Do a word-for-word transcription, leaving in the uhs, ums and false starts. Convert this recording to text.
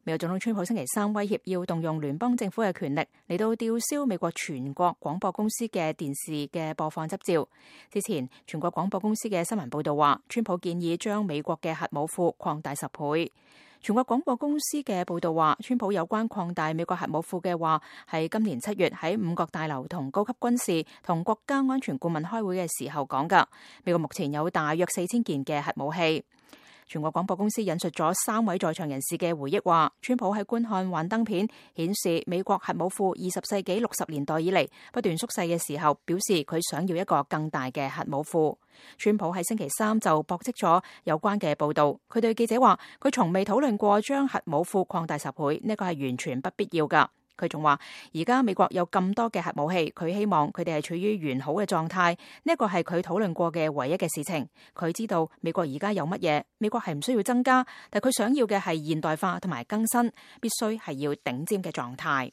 美國總統川普星期三威脅要動用聯邦政府嘅權力嚟到吊銷美國全國廣播公司嘅電視嘅播放執照。之前，全國廣播公司嘅新聞報道話，川普建議將美國嘅核武庫擴大十倍。全國廣播公司嘅報道話，川普有關擴大美國核武庫嘅話，係今年七月喺五角大樓同高級軍事同國家安全顧問開會嘅時候講㗎。美國目前有大約四千件嘅核武器。全國廣播公司引述咗三位在場人士嘅回憶話，川普喺觀看幻燈片顯示美國核武庫二十世紀六十年代以嚟不斷縮細嘅時候，表示佢想要一個更大嘅核武庫。川普喺星期三就駁斥咗有關嘅報導，佢對記者話，佢從未討論過將核武庫擴大十倍，呢個係完全不必要㗎。佢仲話，而家美國有咁多嘅核武器，佢希望佢哋係處於完好嘅狀態，呢一個係佢討論過嘅唯一嘅事情。佢知道美國而家有乜嘢，美國係唔需要增加，但佢想要嘅係現代化同埋更新，必須係要頂尖嘅狀態。